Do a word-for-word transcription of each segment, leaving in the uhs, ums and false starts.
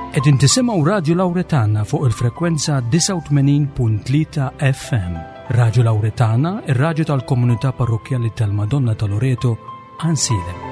Qegħdin tisimgħu Radio Lauretana fuq il-frekwenza disgħa u tmenin punt tlieta F M. Radio Lauretana, ir-radju tal-Komunità Parrokkjali tal-Madonna ta' Loreto, Għajnsielem.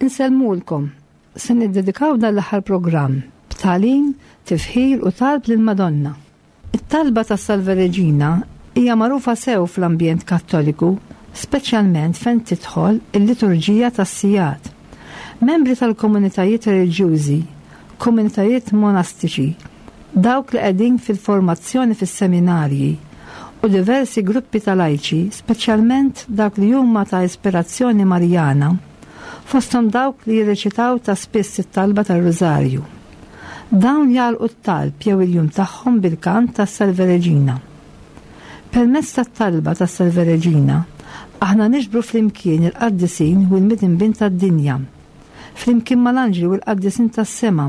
Insellmulkom, se niddedikaw dan l-aħħar programm b'tagħlim, tifħir u talb lill-Madonna. It-talba ta' Salve Regina hija magħrufa sew fl-ambjent Kattoliku, speċjalment fejn tidħol il-liturġija tas-sigħat. Membri tal-komunitajiet reliġjużi, komunitajiet monastiċi, dawk li qegħdin fil-formazzjoni fis-seminarji u diversi gruppi tal-lajċi, speċjalment dawk li huma ta' ispirazzjoni Marjana, fosthom dawk li jirreċitaw ta' spiss it-talba tar-Rużarju. Dawn jagħlqu t-talb jew il-jum tagħhom bil-kant tas Salve Regina. Permezz tat-talba tas Salve Regina, aħna niġbru flimkien il-qaddisin u l-midinbin tad-dinja, flimkien mal-anġli u l-qaddisin tas-sema,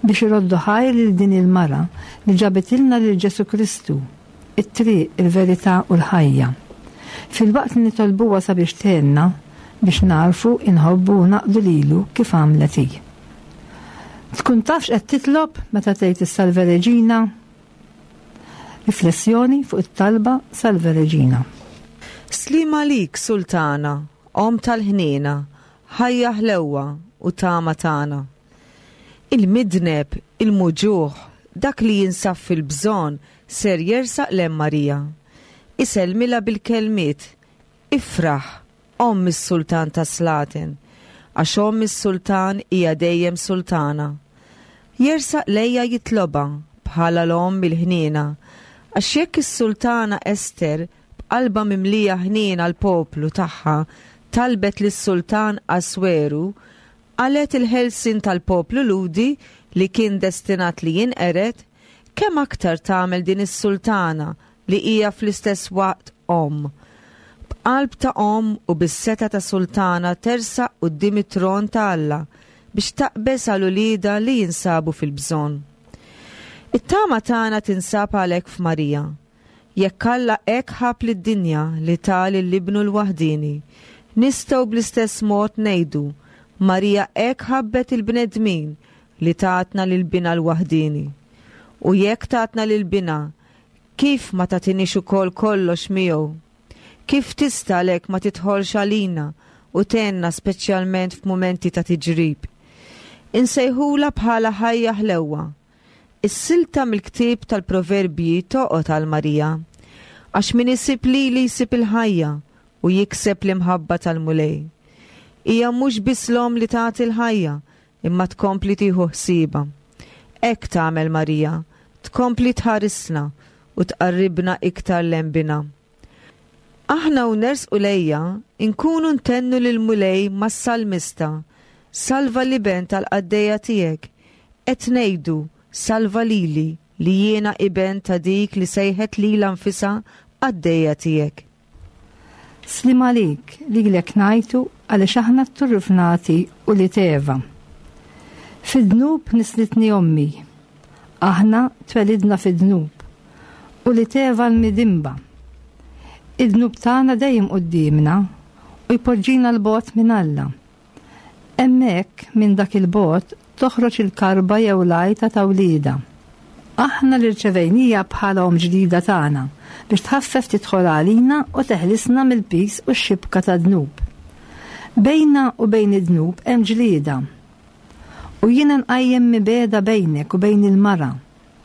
biex iroddu ħajr lil din il-mara li ġabitilna lil Ġesu Kristu, it-triq, il-verità u l-ħajja. Filwaqt li nitolbuha sabiex tgħinna biex nagħrfu, inħobbu u naqdu lilu kif għamlet hi. Tkun tafx qed titlob meta tgħid is-Salve Regina? Riflessjoni fuq it-talba Salve Regina. Sliem għalik, Sultana, Omm tal-ħniena, ħajja, ħlewwa u tama tagħna. Il-midneb, il-muġugħ, dak li jinsab fil-bżonn ser jersaq lejn Marija. Isellmilha bil-kelmiet, "Ifraħ, Omm is-Sultan ta' Slaten, għax Omm is-Sultan hija dejjem sultana." Jersaq lejha jitlobha bħala l-Omm il-ħniena, għax jekk is-Sultana Ester b'qalba mimlija ħniena l-poplu tagħha talbet lis-Sultan Asweru għalet il-ħelsin tal-poplu Lhudi li kien destinat li jinqered, kemm aktar tagħmel din is-sultana li hija fl-istess waqt omm? B'qalb ta' omm u bis-setgħa ta' sultana tersaq quddiem it-tron ta' Alla biex taqbeż għal uliedha li jinsabu fil-bżonn. It-tama tagħna tinsab għalhekk f'Marija. Jekk Alla hekk ħabb lid-dinja li ta lil Ibnu l-waħdini, nistgħu bl-istess mod ngħidu: Marija hekk ħabbet il-bnedmin li tatna lil Binha l-waħdini. U jekk tatna lil Binha, kif ma tagħtiniex ukoll kollox miegħu? Kif tista' għalhekk ma tidħolx għalina u tgħinna, speċjalment f'mumenti ta' tiġrib? Insejħula bħala ħajja ħlewwa. Is-silta mill-ktieb tal-Proverbji toqgħod għal Marija. Għax min isib lili jsib il-ħajja u jikseb l-imħabba tal-Mulej. Hija mhux biss l-omm li tagħti l-ħajja, imma tkompli tieħu ħsiebha. Hekk tagħmel Marija, tkompli tħarisna u tqarribna iktar lejn Binha. Aħna u nersqu lejha, inkunu ntennu lil Mulej mas-salmista: "Salva l-iben tal-qaddejja tiegħek." Qed ngħidu: "Salva lili li jiena iben ta' dik li sejħet lilha nfisha qaddejja tiegħek." Sliem għalik, lilek ngħajtu għaliex aħna t-turrufnati ulied Eva. Fid-dnub nislitni ommi. Aħna twelidna fid-dnub. Ulied Eva l-midinba. Id-dnub tagħna dejjem quddiemna u jpoġġina 'l bogħod minn Alla. Hemmhekk minn dak il-bogħod toħroġ il-karba jew l-għajta ta' wliedha. Aħna li rċevejnieha bħala omm ġdida tagħna biex tħaffef tidħol għalina u teħlisna mill-piż u x-xibka tad-dnub. Bejna u bejn id-dnub hemm ġlieda. U jiena nqajjem mibegħda bejnek u bejn il-mara,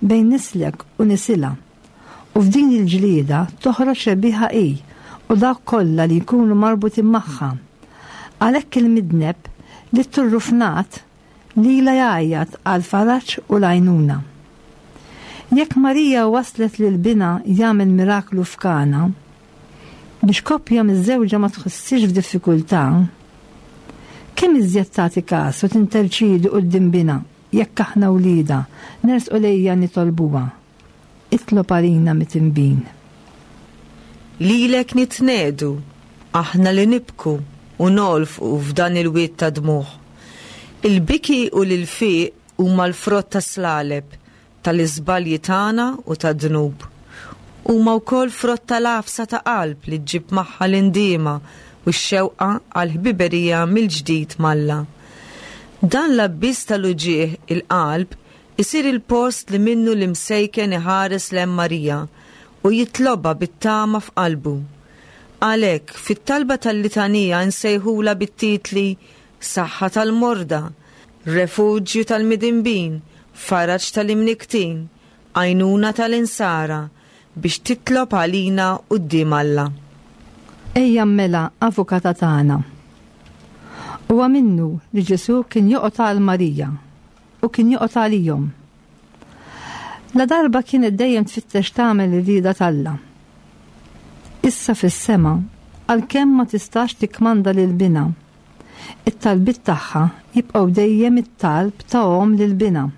bejn nislek u nisilha. U f'din il-ġlieda toħroġ rebbieħa hi u dawk kollha li jkunu marbutin magħha. Għalhekk il-midneb li turrufnat lilha jgħajjat għal faraġ u l-għajnuna. Jekk Marija waslet lil binha jagħmel miraklu f'Kana, biex koppja miżżewġa ma tħossix f'diffikultà, kemm iżjed tagħti każ u tinterċidi quddiem binha jekk aħna wliedha nersqu lejha nitolbuha. Itlob għalina midinbin. Lilek nitnedu, aħna li nibku u nolfqu f'dan il-wied ta' dmugħ. Il-biki u l-ilfiq huma l-frott ta' slaleb tal-iżbalji tagħna u tad-dnub. Huma wkoll frott tal-għafsa ta' qalb li ġġib magħha l-indiema u x-xewqa għal ħbiberija mill-ġdid m'Alla. Dan l-abbiss tal-uġigħ il-qalb isir il-post li minnu l-imsejken iħares lejn Marija u jitlobha bit-tama f'qalbu. Għalhekk, fit-talba tal-litanija nsejħula bit-titli Saħħa tal-Morda, Refuġju tal-Midinbin, Faraġ tal-Imnikktin, Għajnuna tal-Insara, biex titlob għalina quddiem Alla. Ejja mela avukata tagħna. Huwa minnu li Ġesù kien joqgħod għal Marija u kien joqgħod għalihom. La darba kienet dejjem tfittex tagħmel ir-rieda t'Alla. Issa fis-sema, għalkemm ma tistax tikkmanda lil binha, it-talbiet tagħha jibqgħu dejjem it-talb ta' omm lil binha.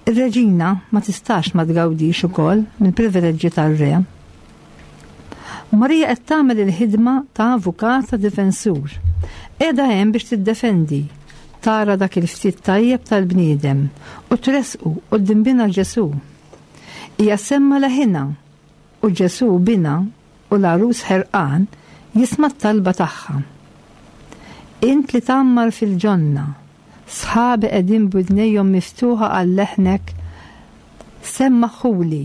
Ir-reġina ma tistax ma tgawdix ukoll mill-privileġġi tar-re. Marija qed tagħmel il-ħidma ta' avukata difensur. Qiegħda hemm biex tiddefendi, tara dak il-ftit tajjeb tal-bniedem u tresqu quddiem binha Ġesù. Hija ssemma' leħinha u Ġesù binha u l-għarus ħerqan jisma' t-talba tagħha. Int li tgħammar fil-ġonna, sħabi qegħdin b'widnejhom miftuħa għal leħnek, semmaħuli.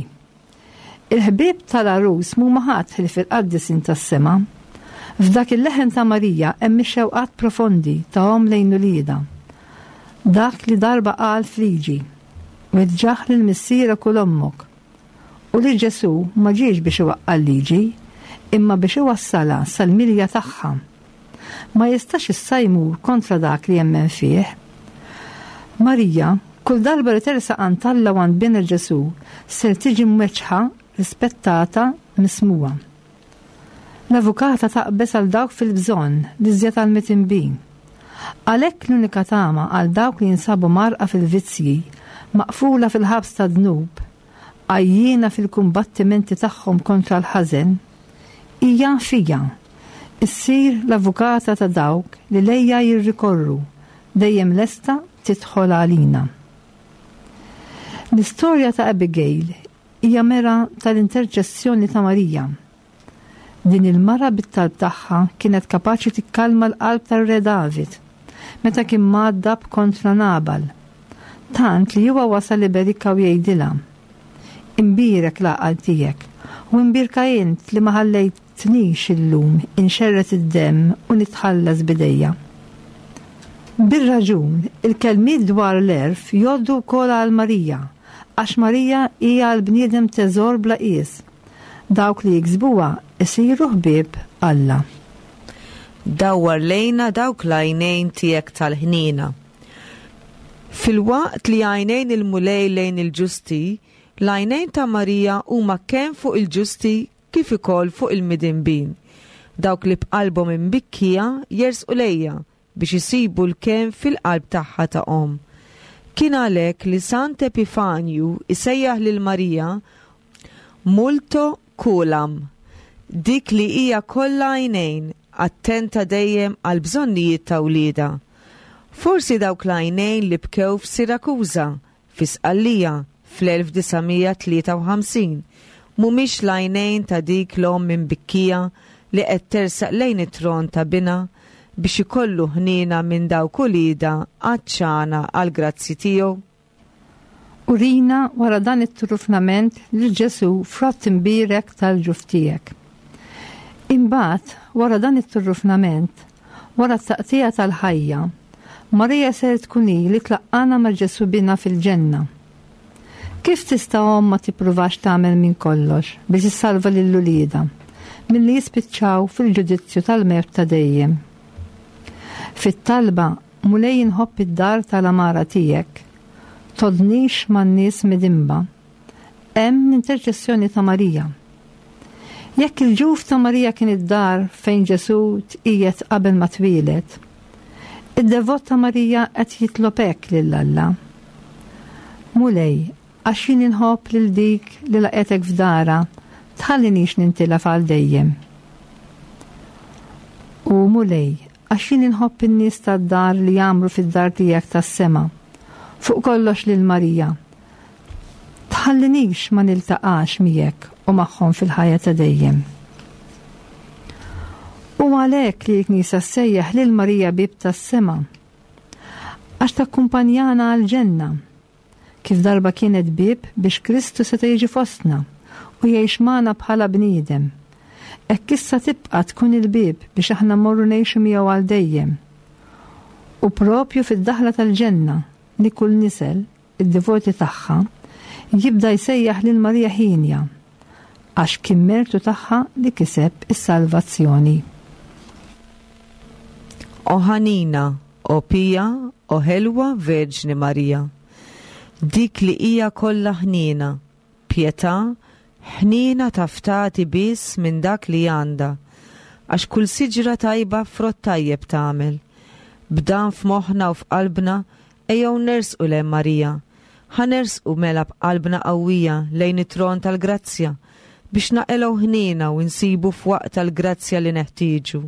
Il-ħbieb tal-għarus mhuma ħadd ħlief il-qaddisin tas-sema. F'dak il-leħen ta' Marija hemm ix-xewqat profondi ta' omm lejn uliedha. Dak li darba qal f'liġi, weġġaħ lil missierek u l-ommok. U li Ġesù ma ġiex biex iwaqqa' l-liġi, imma biex iwassalha sal-milja tagħha. Ma jistax issa jmur kontra dak li jemmen fih. Marija, kull darba li tersaq għand Alla u għand binha Ġesù, ser tiġi mweġġħa, rispettata, mismugħa. L-avukata taqbeż għal dawk fil-bżonn li żjed għal midinbin. Għalhekk l-unika tama għal dawk li jinsabu mgħarrqa fil-vizzji, maqfula fil-ħabs ta' dnub, għajjiena fil-kumbattimenti tagħhom kontra l-ħażen, hija fija. Issir l-avukata ta' dawk li lejha jirrikorru, dejjem lesta tidħol għalina. L-istorja ta' Abigail hija mera tal-interċessjoni ta' Marija. Din il-mara bit-talb tagħha kienet kapaċi tikkalma l-qalb tar-Re David meta kien mgħaddab kontra Nabal. Tant li huwa wasal iberikha u jgħidilha: Imbierek l-għaqal tiegħek u imbierka int li ma ħallejtnix illum inxerred id-demm u nitħallas b'idejja. Bir-raġun, il-kelmiet dwar l-għerf jgħoddu wkoll għal Marija, għax Marija hija għall-bniedem teżor bla qies. Dawk li jiksbuha isiru ħbieb Alla. Dawwar lejna dawk l-għajnejn tiegħek tal-ħniena. Filwaqt li għajnejn il-Mulej lejn il-ġusti, l-għajnejn ta' Marija huma kemm fuq il-ġusti kif ukoll fuq il-midinbin. Dawk li b'qalbhom imbikkija jersqu lejha biex isibu l-kenn fil-qalb tagħha ta' omm. Kien għalhekk li Sant Epifanju isejjaħ lil Marija Multo Kulam, dik li hija kollha għajnejn, attenta dejjem għal bżonnijiet ta' wliedha. Forsi dawk l-għajnejn li bkew f'Sirakuża, fi Sqallija, fl-elf disa' mija tlieta u ħamsin, mhumiex l-għajnejn ta' dik l-omm imbikkija li qed tersaq lejn it-tron ta' binha biex ikollu ħniena minn dawk uliedha għatxana għal grazzi tiegħu. Urina wara dan it-turufnament lil Ġesù frott imbierek tal-ġuf tiegħek. Imbagħad wara dan it-turufnament, wara t-taqtija tal-ħajja, Marija ser tkun hi li tlaqqana ma' Ġesù bina fil-ġenna. Kif tista' omm ma tippruvax tagħmel minn kollox biex issalva lil uliedha milli jispiċċaw fil-ġudizzju tal-mewt ta' dejjem? Fit-talba Mulej inħobb id-dar tal-għamara tiegħek, tgħoddnix man-nies midinba, hemm l-interċessjoni ta' Marija. Jekk il-ġuf ta' Marija kien id-dar fejn Ġesù tqiegħed qabel ma twieled, id-devot ta' Marija qed jitlob hekk lil Alla. Mulej, għax jien inħobb lil dik li laqgħetek f'darha, tħallinix nintilef għal dejjem. U Mulej, għax jien inħobb in-nies tad-dar li jagħmlu fid-dar tiegħek tas-sema, fuq kollox lil Marija. Tħallinix ma niltaqax miegħek u magħhom fil-ħajja ta' dejjem. U għalhekk li l-Knisja ssejjaħ lil Marija bieb tas-sema, għax takkumpanjana għall-ġenna, kif darba kienet bieb biex Kristu seta' jiġi fostna u jgħix magħna bħala bniedem. Hekk issa tibqa' tkun il-bieb biex aħna mmorru ngħixu miegħu għal dejjem. U propju fid-daħla tal-ġenna li kull nisel, id-devoti tagħha, jibda jsejjaħ lil Marija Ħinja, għax kien mertu tagħha li kiseb is-salvazzjoni. O ħanina, o pija, o ħelwa Verġni Marija, dik li hija kollha ħniena, pjetà, ħniena taf tagħti biss minn dak li għandha, għax kull siġra tajba frott tajjeb tagħmel. B'dan f'moħħna u f'qalbna ejjew nersqu lejn Marija, ħa nersqu mela b'qalbna qawwija lejn it-tron tal-grazzja biex naqilgħu ħniena u nsibu f'waqt tal-grazzja li neħtieġu.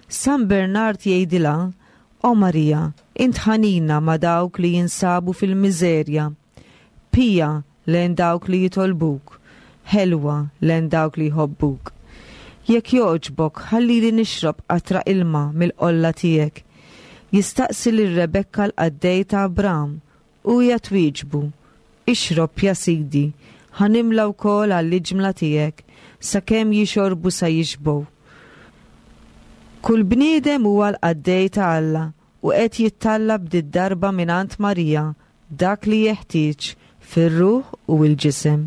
San Bernard jgħidilha, O Marija, int ħanina ma' dawk li jinsabu fil-miżerja, pija lejn dawk li jitolbuk, ħelwa lejn dawk li jħobbuk. Jekk jogħġbok, ħallili nixrob qatra ilma mill-qolla tiegħek. Jistaqsi lil Rebekka l-qaddej ta' Abram u hija twieġbu, Ixrob ja sidi, ħa nimla wkoll għall-iġmla tiegħek, sakemm jixorbu sa jixbgħu. Kull bniedem huwa l-qaddej ta' Alla u qed jittallab did-darba mingħand Marija dak li jeħtieġ fir-ruħ u l-ġisem.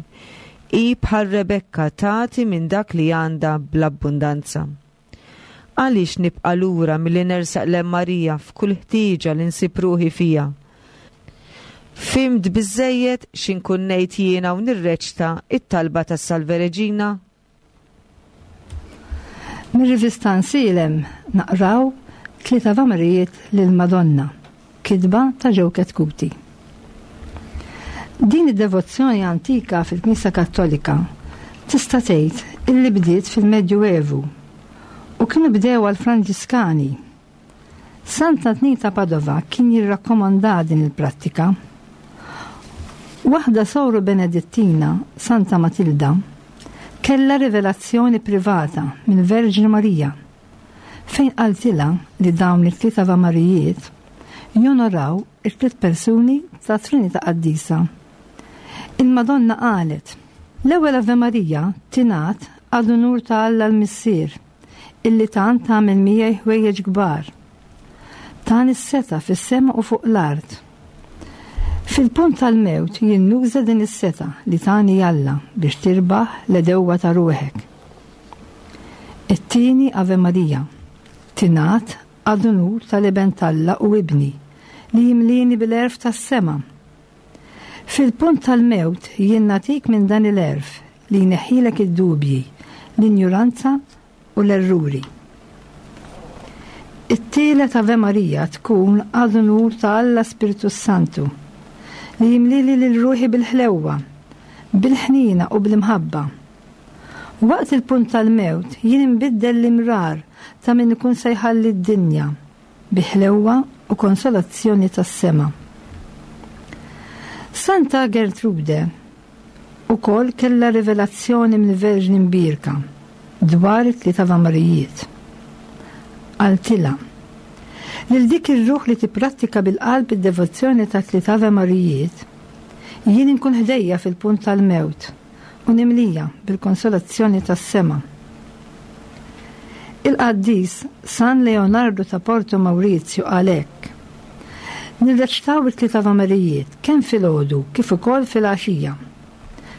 Hi bħal Rebekka tagħti minn dak li għandha bl-abbundanza. Għaliex nibqa' lura milli nersaq lejn Marija f'kull ħtieġa li nsib ruħi fija? Fhimt biżżejjed x'inkun ngħid jiena u nirreċta it-talba tas-Salve Reġina? Mir-rivista Nsilem naqraw tliet avamarijiet lil Madonna, kitba ta' Joe Chetcuti. Din id-devozzjoni antika fil-Knisja Kattolika tista' tgħid illi bdiet fil-Medjuevu u kienu bdew għall-Franġiskani. Santa Antnin ta' Padova kien jirrakkomanda din il-prattika. Waħda soru Benedittina, Santa Matilda, kella rivelazzjoni privata minn Verġni Marija, fejn qaltilha li dawn it-tliet avamarijiet jonoraw it-tliet persuni ta' Trinità Qaddisa. Il-Madonna qalet, l-ewwel Ave Marija tingħad għad unur ta' Alla l-Missier, illi tant tagħmel miegħi ħwejjeġ kbar. Tan is-seta fis-sema u fuq l-art. Fil-punt tal-mewt jien nuża din is-seta li tani Alla biex tirbaħ l-edewwa ta' ruħek. It-tieni Ave Marija tingħad għad unur tal-Iben t'Alla u Ibni li jimlini bil-għerf tas-sema. Fil-punt tal-mewt jien nagħtik minn dan il-għerf li jneħħilek id-dubji, l-injuranza u l-erruri. It-tielet Ave Marija tkun għad unur ta' Alla Spiritu Santu li jimlili lil ruħi bil-ħlewwa, bil-ħnina u bil-imħabba. Waqt il-punt tal-mewt jien inbiddel l-imrar ta' min ikun se jħalli d-dinja bi ħlewwa u konsolazzjoni tas-sema. Santa Gertrude ukoll kellha rivelazzjoni mill-Verġni Mbierka dwar it-tliet avamarijiet. Qaltilha, lil dik ir-ruħ li tipprattika bil-qalb id-devozzjoni ta' tliet Ave Marijiet, Jien inkun ħdejja fil-punt tal-mewt u nimlija bil-konsolazzjoni tas-sema. Il-qaddis San Leonardo ta' Porto Maurizio għalhekk. Nirreċtaw it-tliet Avamarijiet kemm filgħodu kif ukoll filgħaxija.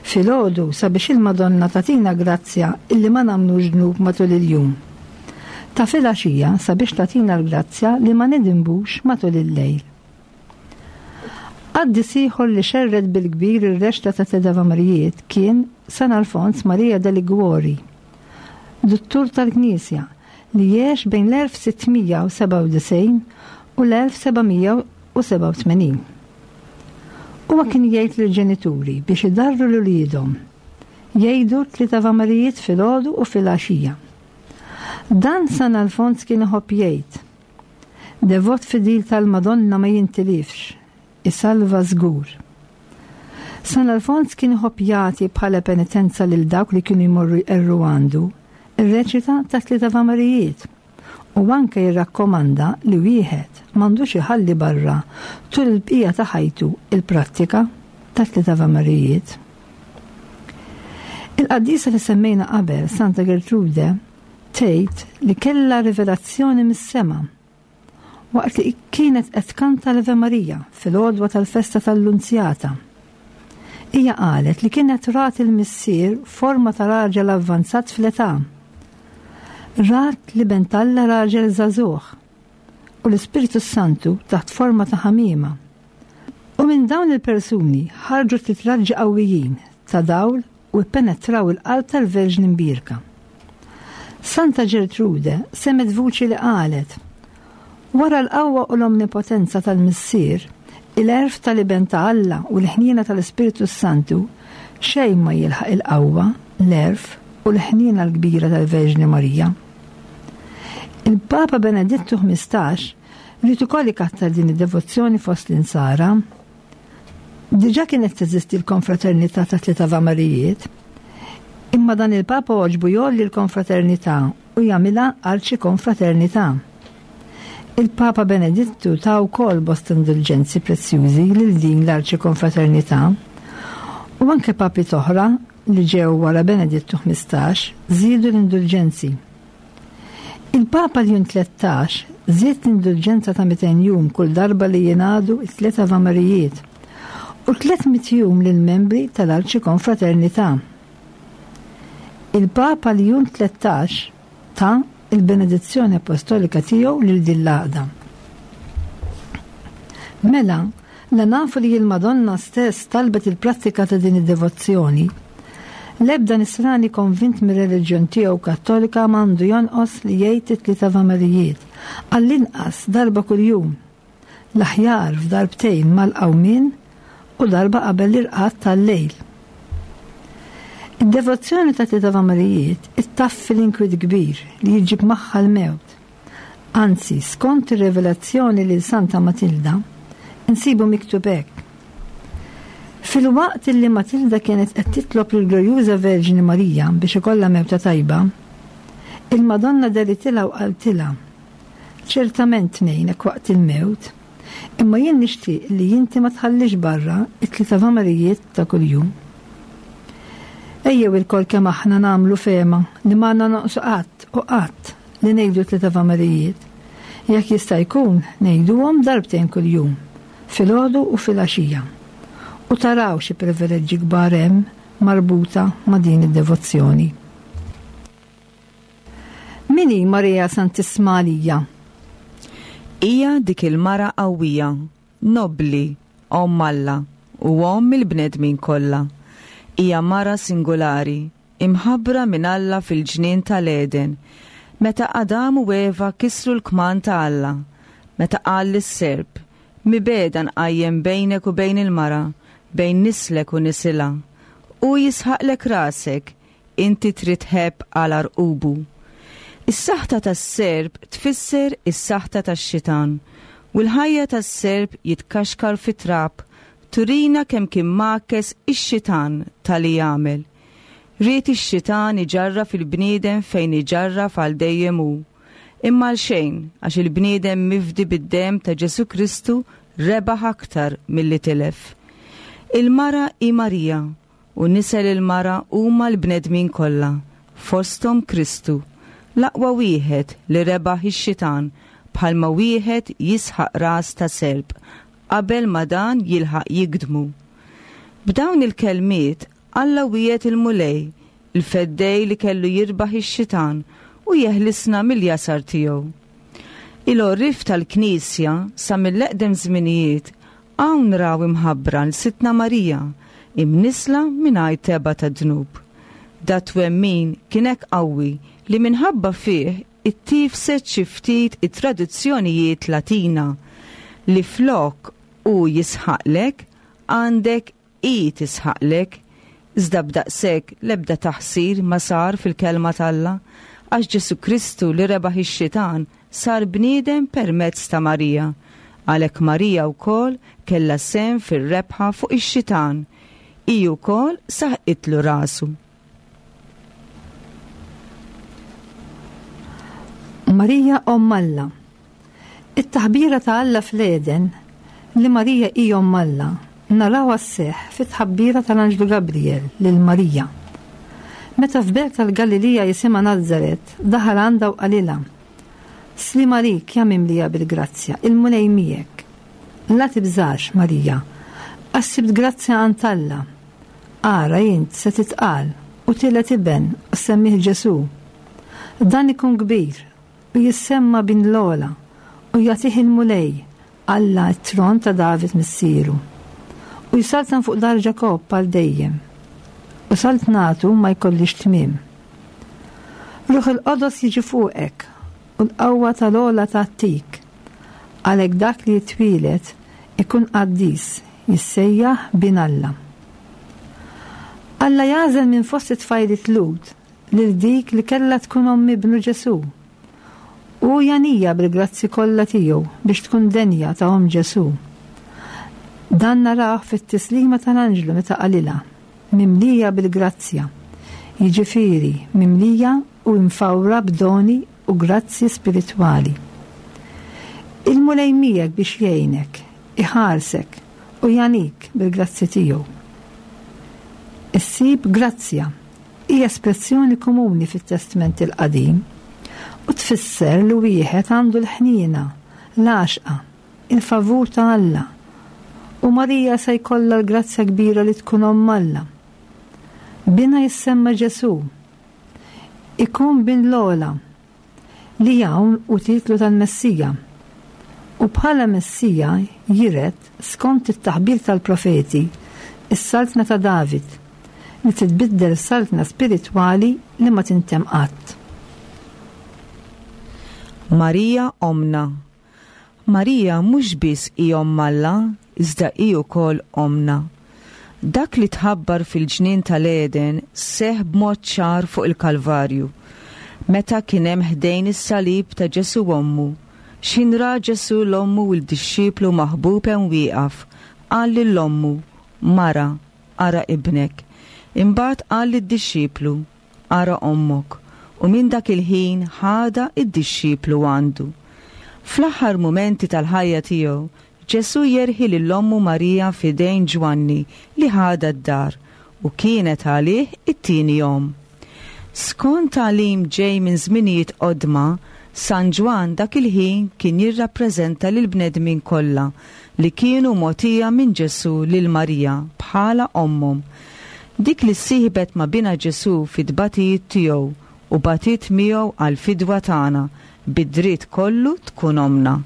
Filgħodu sabiex il-Madonna tagħtina grazzja illi ma nagħmlux dnub matul il-jum. Ta' filgħaxija sabiex tagħtina l-grazzja li ma nidinbux matul il-lejl. Qaddis ieħor li xerred bil-kbir ir-reċta ta' tliet Avamarijiet kien San Alfons Maria de Liguori, duttur tal-Knisja li għex bejn l-elf sittmija u sebgħa u disgħin u l-elf sebgħamija u sebgħa u tmenin. Huwa kien jgħid lill-ġenituri biex idarru lil uliedhom, jgħidu tliet Avamarijiet filgħodu u filgħaxija. Dan San Alfons kien iħobb jgħid: Devot fidil tal-Madonna ma jintilifx, isalva żgur. San Alfons kien iħobb jagħti bħala penitenza lil dawk li kienu jmorru jqerru għandu ir-reċita ta' tliet Avamarijiet u anke jirrakkomanda li wieħed m'għandux iħalli barra tul il-bqija ta' ħajtu il-prattika ta' tliet Avamarijiet. Il-qaddisa li semmejna qabel, Santa Gertrude, tgħid li kellha rivelazzjoni mis-sema waqt li kienet qed tkanta l-Ave Maria fil-għodwa tal-festa tal-Lunzjata. Hija qalet li kienet rat il-missier forma ta' raġel avvanzat fl-età. Rat li ben Alla raġel żagħżugħ u l-Ispiritu Santu taħt forma ta' ħamiema. U minn dawn il-persuni ħarġu tliet raġġi qawwijin ta' dawl u ppenetraw il-qalb tal-Verġni Mbierka. Santa Gertrude semet vuċi li qalet: Wara l-qawwa u l-omnipotenza tal-Missier, il-għerf tal-Iben ta' Alla u l-ħniena tal-Ispiritu Santu, xejn ma jilħaq il-qawwa, l-għerf u l-ħniena l-kbira tal-Verġni Marija. Il-Papa Benedittu ħmistax ried ukoll ikattar din id-devozzjoni fost l-insara. Diġà kienet teżisti l-konfraternità ta' tliet Avamarijiet, imma dan il-Papa għoġbu jgħolli l-konfraternità u jagħmilha arċikonfraternità. Il-Papa Benedittu ta wkoll bosta indulġenzi prezzjużi lil din l-arċikonfraternità u anke papi oħra li ġew wara Benedittu ħmistax żiedu l-indulġenzi. Il-Papa Ljun tlettax żied l-indulġenza ta' mitejn jum kull darba li jingħadu t-tliet Avamarijiet u tliet mitt jum lill-membri tal-arċikonfraternità. Il-Papa Ljun tlettax ta il-benedizzjoni apostolika tiegħu lil din l-għaqda. Mela, la nafu li l-Madonna stess talbet il-prattika ta' din id-devozzjoni, l-ebda nisrani konvint mir-reliġjon tiegħu kattolika m'għandu jonqos li jgħid it-tliet Avamarijiet għall-inqas darba kuljum, l-aħjar f'darbtejn mal-qawmien u darba qabel l-irqad tal-lejl. Id-devozzjoni ta' tliet Avamarijiet ittaffi l-inkwiet kbir li jġib magħha l-mewt. Anzi, skont ir-rivelazzjoni lil Santa Matilda, insibu miktub hekk. Fil-waqt li Matilda kienet qed titlob lill-Glorjuża Verġni Marija biex ikollha mewta tajba, il-Madonna deritilha u qaltilha: Ċertament ngħinek waqt il-mewt, imma jien nixtieq li inti ma tħallix barra it-tliet Avamarijiet ta' kuljum. Ejjew ilkoll kemm aħna nagħmlu fehma li ma għandna noqsu qatt u qatt li ngħidu tliet Avamarijiet. Jekk jista' jkun ngħiduhom darbtejn kuljum, filgħodu u filgħaxija. U taraw xi privileġġi kbar hemm marbuta ma' din id-devozzjoni. Min hi Marija Santissima għalija? Hija dik il-mara qawwija, nobbli, omm Alla u omm il-bnedmin kollha. Hija mara singolari, imħabbra minn Alla fil-ġnien tal-Eden, meta Adam u Eva kisru l-kman ta' Alla, meta qal lis-serp: Mibegħda nqajjem bejnek u bejn il-mara, bejn nislek u nisilha, u jisħaqlek rasek, inti trid ħebb għal arqubu. Is-saħta tas-serp tfisser is-saħta tax-xitan, u l-ħajja tas-serp jitkaxkar fit-trab, turina kemm kien makes ix-xitan tal-li jagħmel. Ried ix-xitan iġarra fil-bniedem fejn iġarra għal dejjem hu. Imma għal xejn, għax il-bniedem mifdi bid-dem ta' Ġesu Kristu rebaħ aktar milli tilef. Il-mara hi Marija u nisel il-mara huma l-bnedmin kollha, fosthom Kristu, l-aqwa wieħed li rebaħ ix-xitan bħalma wieħed jisħaq ras ta' serp qabel ma dan jilħaq jigdmu. B'dawn il-kelmiet Alla wiegħed il-Mulej, il-feddej li kellu jirbaħ ix-xitan u jeħlisna mill-jasar tiegħu. Il-għorrief tal-Knisja sa mill-eqdem żminijiet hawn raw imħabbra 'l Sidtna Marija, imnissla mingħajr tebgħa ta' dnub. Dat-twemmin kien hekk qawwi li minħabba fih ittiefset xi ftit it-traduzzjonijiet Latina li flok hu jisħaqlek għandek hi tisħaqlek, iżda b'daqshekk l-ebda taħsir ma sar fil-kelma t'Alla, għax Ġesù Kristu li rebaħ ix-xitan sar bniedem permezz ta' Marija. Għalhekk Marija wkoll kellha sehem fir-rebħa fuq ix-xitan. Hi wkoll saħqitlu rasu. Marija Omm Alla. It-taħbira ta' Alla fl-Eden li Marija hi Omm Alla narawha sseħħ fit-tħabbira tal-Anġlu Gabriel lil Marija. Meta f'belt tal-Galilija jisimha Nazaret, daħal għandha u qalilha: Sliem għalik, ja mimlija bil-grazzja, il-Mulej miegħek. La tibżax, Marija, għax sibt grazzja għand Alla. Ara int se titqal u tiled iben u semmih Ġesù. Dan ikun kbir u jissemma bin l-ogħla u jagħtih il-Mulej, Alla t-tron ta' David missieru. U jsaltan fuq dar Ġakobb għal dejjem, u saltnatu ma jkollix tmiem. Ruħ il-Qodos jiġi fuqek u l-qawwa tal-ogħla tgħattik. Għalhekk dak li jitwieled ikun qaddis, jissejjaħ bin Alla. Alla jagħżel minn fost it-tfajliet Lhud lil dik li kellha tkun omm ibnu Ġesù. U janija bil-grazzi kollha tiegħu biex tkun denja ta' omm Ġesù. Dan naraw fit-tislima tal-anġlu meta qalilha, mimlija bil-grazzja, jiġifieri mimlija u imfawra b'doni u grazzi spiritwali. Il-Mulej miegħek biex jgħinek, iħarsek u janik bil-grazzi tiegħu. Issib grazzja hija espressjoni komuni fit-Testment il-Qadim u tfisser li wieħed għandu l-ħniena, l-għaxqa, il-favur ta' Alla. U Marija se jkollha l-grazzja kbira li tkun omm Alla. Binha jissemma Ġesù, ikun bin l-ogħla, li hawn hu titlu tal-Messija. U bħala Messija jiret, skont it-taħbir tal-profeti, is-saltna ta' David, li titbiddel saltna spiritwali li ma tintemm qatt. Marija omna. Marija mhux biss hi omm Alla, iżda hi wkoll omna. Dak li tħabbar fil-ġnien tal-Eden seħ b'mod ċar fuq il-Kalvarju, meta kien hemm ħdejn is-salib ta' Ġesù ommu. X'ħin ra Ġesù l-ommu u l-dixxiplu maħbub hemm wieqaf, qal lil ommu: Mara, ara ibnek. Imbagħad qal lid-dixxiplu: Ara ommok. U minn dak il-ħin ħada id-dixxiplu għandu. Fl-aħħar mumenti tal-ħajja tiegħu, Ġesù jerħi lil ommu Marija f'idejn Ġwanni li ħada d-dar u kienet għalih it-tieni omm. Skont tagħlim ġej minn żminijiet qodma, San Ġwann dak il-ħin kien jirrappreżenta lil bnedmin kollha li kienu mogħtija minn Ġesù lil Marija bħala ommhom. Dik li ssieħbet ma' binha Ġesù fit-tbatijiet tiegħu u batiet miegħu għall-fidwa tagħna, bid-dritt kollu tkun omna.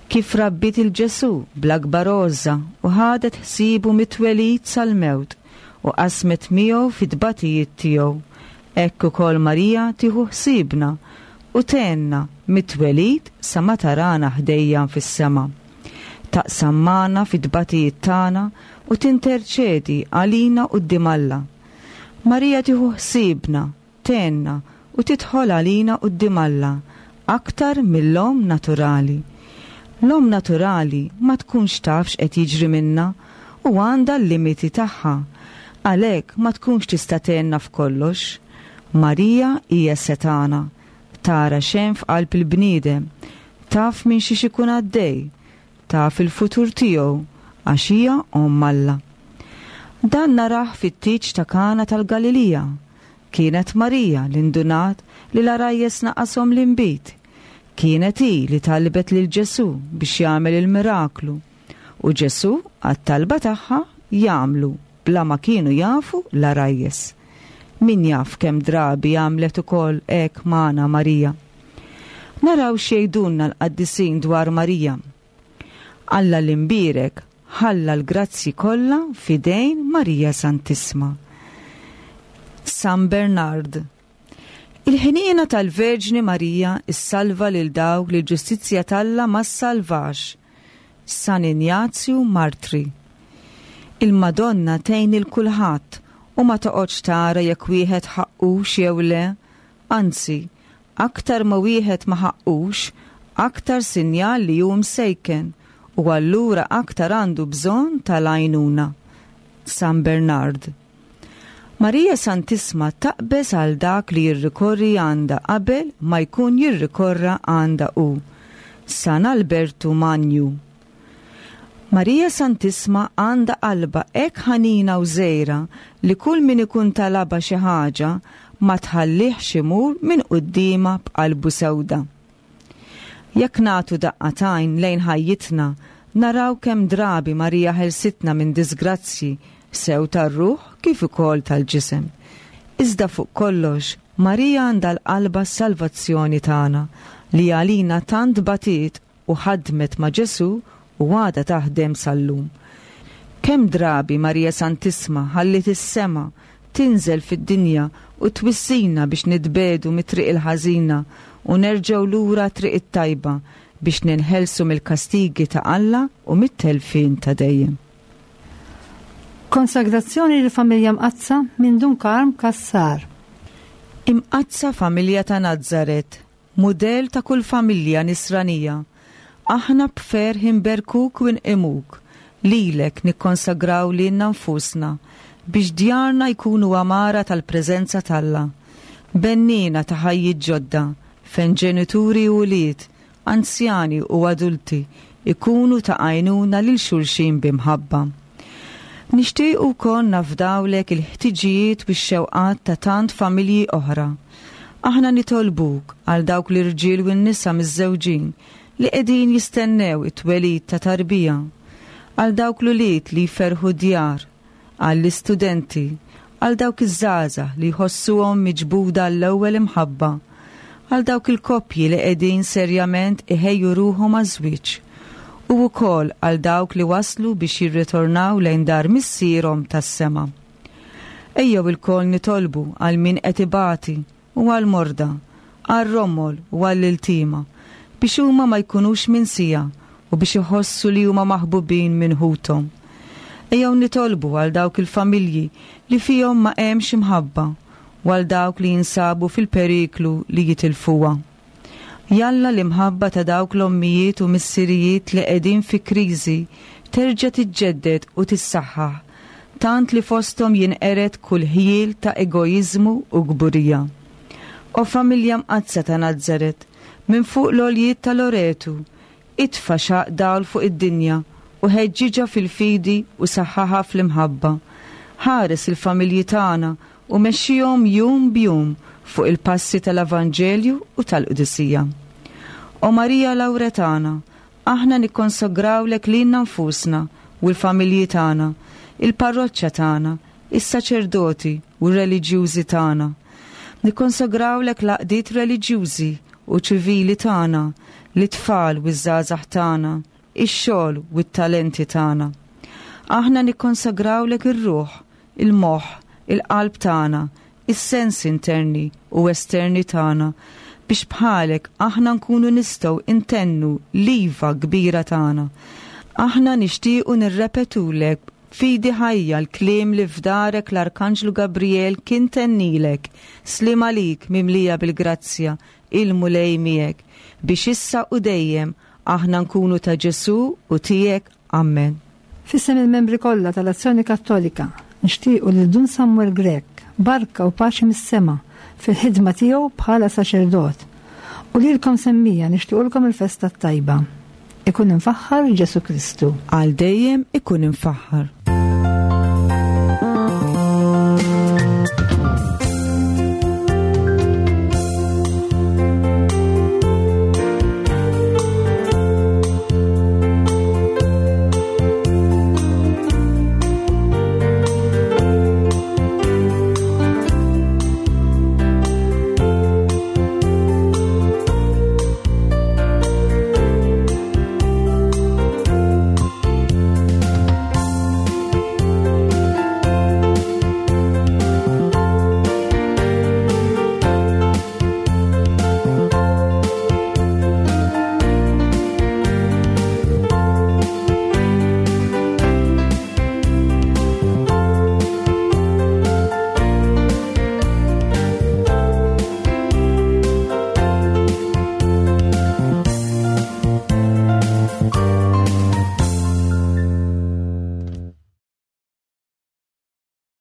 Kif rabbiet il-Ġesù bl-akbar għożża u ħadet ħsiebu mit-twelid sal-mewt u qasmet miegħu fit-tbatijiet tiegħu, hekk ukoll Marija tieħu ħsiebna u tgħinna mit-twelid sa ma tarana ħdejja fis-sema. Taqsam magħna fit-tbatijiet tagħna u tinterċedi għalina quddiem Alla. Marija tieħu ħsiebna, tgħinna u tidħol għalina quddiem Alla aktar mill-omm naturali. L-omm naturali ma tkunx taf x'qed jiġri minna u għandha l-limiti tagħha, għalhekk ma tkunx tista' tgħinna f'kollox. Marija hija setana, tara x'hemm f'qalb il-bniedem, taf minn xiex ikun għaddej, taf il-futur tiegħu għax hija omm Alla. Dan narah fit-tieġ ta' Kana tal-Galilija. Kienet Marija li ndunat li l-għarajjes naqashom l-inbid. Kienet hi li talbet lil Ġesù biex jagħmel il-miraklu. U Ġesù għat-talba tagħha jagħmlu bla ma kienu jafu l-għarajjes. Min jaf kemm drabi għamlet ukoll hekk magħna Marija. Naraw x'jgħidulna l-qaddisin dwar Marija. Alla l-imbierek ħalla l-grazzji kollha f'idejn Marija Santissma. San Bernard. Il-ħniena tal-Verġni Marija issalva lil dawk li l-ġustizzja t'Alla ma ssalvax. San Injazju Martri. Il-Madonna tgħin lil kulħadd u ma toqgħodx tara jekk wieħed ħaqqux jew le, anzi, aktar ma wieħed ma ħaqqux, aktar sinjal li hu msejken u allura aktar għandu bżonn tal-għajnuna. San Bernard. Marija Santissma taqbeż għal dak li jirrikorri għandha qabel ma jkun jirrikorra għandha hu. San Albertu Magnu. Marija Santissma għandha qalba hekk ħanina u żgħira li kull min ikun talabha xi ħaġa ma tħallihx imur minn quddiemha b'qalbu sewda. Jekk nagħtu daqqa t'għajn lejn ħajjitna, naraw kemm drabi Marija ħelsitna minn disgrazzji sew tar-ruħ kif ukoll tal-ġisem. Iżda fuq kollox, Marija għandha l-qalba s-salvazzjoni tagħna li għalina tant batiet u ħadmet ma' Ġesù u għadha taħdem sal-lum. Kemm drabi Marija Santissma ħalliet is-sema tinżel fid-dinja u twissina biex nitbiegħdu mit-triq il-ħażina u nerġgħu lura triq it-tajba biex ninħelsu mill-kastigi ta' Alla u mit-telfien ta' dejjem. Konsagrazzjoni lil familja Mqaddsa minn Dun Karm Cassar. Imqaddsa familja ta' Nazzaret, mudell ta' kull familja nisranija, aħna b'ferħ inberkuk u nqimuk, lilek nikkonsagraw lilna nfusna biex djarna jkunu għamara tal-preżenza t'Alla. Bennina ta' ħajjiet ġodda, fejn ġenituri u wlied, anzjani u adulti ikunu ta' għajnuna lil xulxin b'imħabba. Nixtiequ wkoll nafdawlek il-ħtiġijiet u x-xewqat ta' tant familji oħra. Aħna nitolbuk għal dawk l-irġiel u n-nisa miżżewġin li qegħdin jistennew it-twelid ta' tarbija, għal dawk l-ulied li jferħu djar, għall-istudenti, għal dawk iż-żgħażagħ li jħossuhom miġbuda l-ewwel imħabba, għal dawk il-koppji li qegħdin serjament iħejju ruħhom għaż-żwieġ, u wkoll għal dawk li waslu biex jirritornaw lejn dar missierhom tas-sema. Ejjew ilkoll nitolbu għal min qed ibati u għal morda, għal romol u għall iltima, biex huma ma jkunux minsija u biex iħossu li huma maħbubin minn ħuthom. Ejjew nitolbu għal dawk il-familji li fihom ma hemmx imħabba u għal dawk li jinsabu fil-periklu li jitilfuha. Jalla l-imħabba ta' dawk l-ommijiet u missirijiet li qegħdin fi kriżi terġa' tiġġedded u tissaħħaħ, tant li fosthom jinqered kull ħjiel ta' egoiżmu u kburija. O familja mqaddsa ta' Nazzaret, minn fuq l-għoljiet ta' Loretu, itfa' xaq dawl fuq id-dinja u ħeġġiġha fil-fidi u saħħaħa fl-imħabba. Ħares il-familji tagħna u mexxihom jum b'jum fuq il-passi tal-Evanġelju u tal-Qdusija. O Marija Lawretana, aħna nikkonsagrawlek lilna nfusna u l-familji tagħna, il-parroċċa tagħna, is-saċerdoti u r-reliġjużi tagħna. Nikkonsagrawlek l-għaqdiet reliġjużi u ċivili tagħna, l-itfal u ż-żgħażagħ tagħna, ix-xogħol u t-talenti tagħna. Aħna nikkonsagrawlek ir-ruħ, il-moħħ, il-qalb tagħna, is-sens interni u esterni tagħna biex bħalek aħna nkunu nistgħu intennu l-iva kbira tagħna. Aħna nixtiequ nirrepetulek fidi ħajja l-kliem li f'darek l-Arkanġlu Gabriel kien tennilek, sliem għalik mimlija bil-grazzja, il-Mulej miegħek, biex issa u dejjem aħna nkunu ta' Ġesù u tiegħek. Amen. F'isem il-membri kollha tal-Azzjoni Kattolika nixtiequ lil Dun Samuel Grech barka u paċi mis-sema fil-ħidma tiegħu bħala saċerdot. U lilkom semmija nixtiequlkom il-festa t-tajba. Ikun imfaħħar Ġesù Kristu. Għal dejjem ikun imfaħħar.